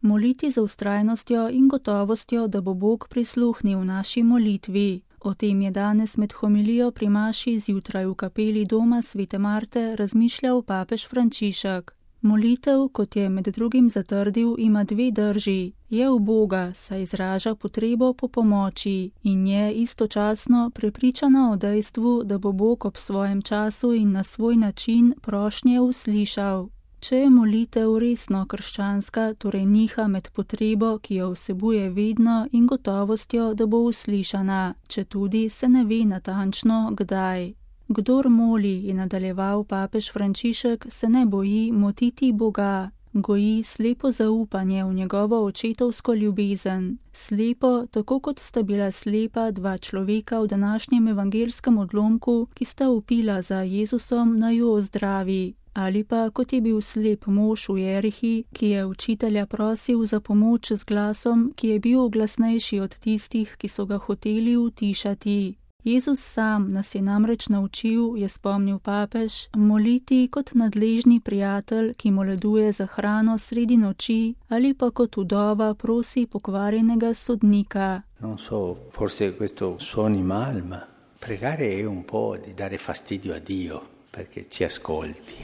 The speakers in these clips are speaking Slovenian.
Moliti z vztrajnostjo in gotovostjo, da bo Bog prisluhnil naši molitvi. O tem je danes med homilijo pri maši zjutraj v kapeli doma Svete Marte razmišljal papež Frančišek. Molitev, kot je med drugim zatrdil, ima dve drži. Je uboga, saj izraža potrebo po pomoči in je istočasno prepričana o dejstvu, da bo Bog ob svojem času in na svoj način prošnje uslišal. Če je molitev resno krščanska, torej niha med potrebo, ki jo vsebuje vedno, in gotovostjo, da bo uslišana, četudi se ne ve natančno, kdaj. Kdor moli, je nadaljeval papež Frančišek, se ne boji motiti Boga, goji slepo zaupanje v njegovo očetovsko ljubezen. Slepo, tako kot sta bila slepa dva človeka v današnjem evangelskem odlomku, ki sta vpila za Jezusom, naj jo ozdravi. Ali pa kot je bil slep mož v Jerihi, ki je učitelja prosil za pomoč z glasom, ki je bil glasnejši od tistih, ki so ga hoteli utišati. Jezus sam nas je namreč naučil, je spomnil papež, moliti kot nadležni prijatelj, ki moleduje za hrano sredi noči, ali pa kot vdova prosi pokvarjenega sodnika. Non so, forse questo suoni mal, ma pregare è un po' di dare fastidio a Dio, perché ci ascolti,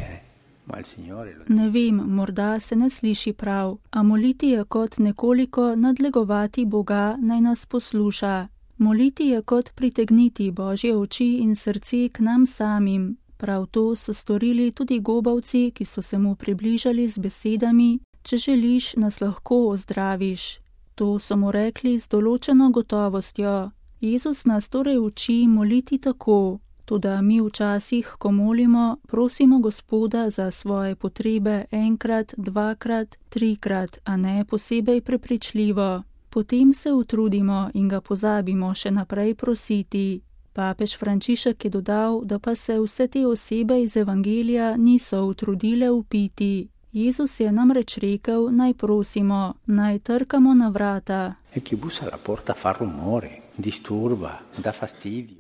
ma il Signore lo... Ne vem, morda se ne sliši prav, a moliti je kot nekoliko nadlegovati Boga, naj nas posluša. Moliti je kot pritegniti Božje oči in srce k nam samim. Prav to so storili tudi gobavci, ki so se mu približali z besedami: če želiš, nas lahko ozdraviš. To so mu rekli z določeno gotovostjo. Jezus nas torej uči moliti tako. Toda mi včasih, ko molimo, prosimo Gospoda za svoje potrebe enkrat, dvakrat, trikrat, a ne posebej prepričljivo. Potem se utrudimo in ga pozabimo še naprej prositi. Papež Frančišek je dodal, da pa se vse te osebe iz evangelija niso utrudile vpiti. Jezus je namreč rekel, naj prosimo, naj trkamo na vrata.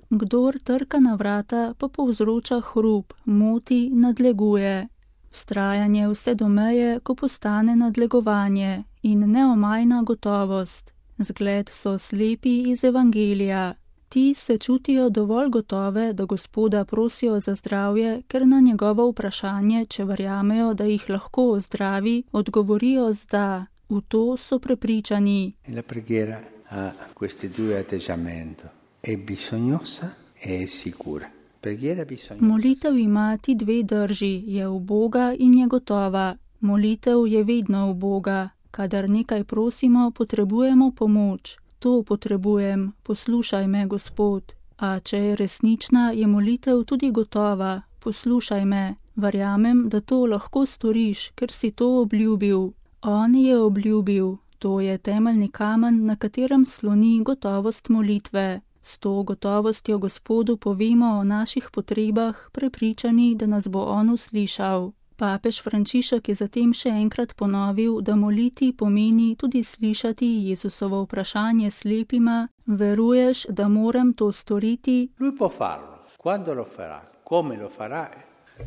Kdor trka na vrata, pa povzroča hrup, moti, nadleguje. Vztrajanje vse do meje, ko postane nadlegovanje, in neomajna gotovost. Zgled so slepi iz evangelija. Ti se čutijo dovolj gotove, da Gospoda prosijo za zdravje, ker na njegovo vprašanje, če verjamejo, da jih lahko ozdravi, odgovorijo z da. V to so prepričani. La preghiera ha questi due atteggiamenti. È bisognosa e è sicura. Molitev ima ti dve drži, je uboga in je gotova. Molitev je vedno uboga. Kadar nekaj prosimo, potrebujemo pomoč. To potrebujem, poslušaj me, Gospod. A če je resnična, je molitev tudi gotova. Poslušaj me, verjamem, da to lahko storiš, ker si to obljubil. On je obljubil. To je temeljni kamen, na katerem sloni gotovost molitve. S to gotovostjo Gospodu povemo o naših potrebah, prepričani, da nas bo on uslišal. Papež Frančišek je zatem še enkrat ponovil, da moliti pomeni tudi slišati Jezusovo vprašanje slepima: veruješ, da moram to storiti? Lui può farlo. Quando lo farà, come lo farà,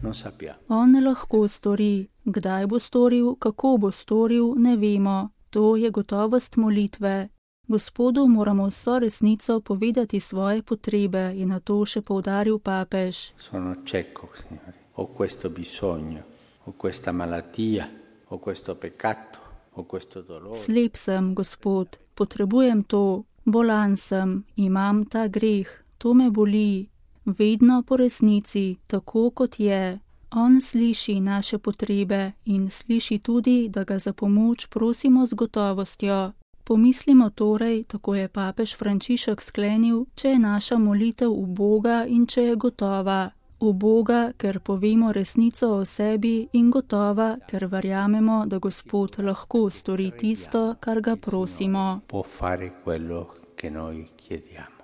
non sappiamo. On lahko stori. Kdaj bo storil, kako bo storil, ne vemo. To je gotovost molitve. Gospodu moramo vso resnico povedati svoje potrebe, je na to še poudaril papež. Sono cieco, Signore. Ho questo bisogno, ho questa malattia, ho questo peccato, ho questo dolore. Slep sem, Gospod, potrebujem to, bolan sem, imam ta greh, to me boli. Vedno po resnici, tako kot je. On sliši naše potrebe in sliši tudi, da ga za pomoč prosimo z gotovostjo. Pomislimo torej, tako je papež Frančišek sklenil, če je naša molitev uboga in če je gotova. Uboga, ker povemo resnico o sebi, in gotova, ker verjamemo, da Gospod lahko stori tisto, kar ga prosimo. Può fare quello che noi chiediamo.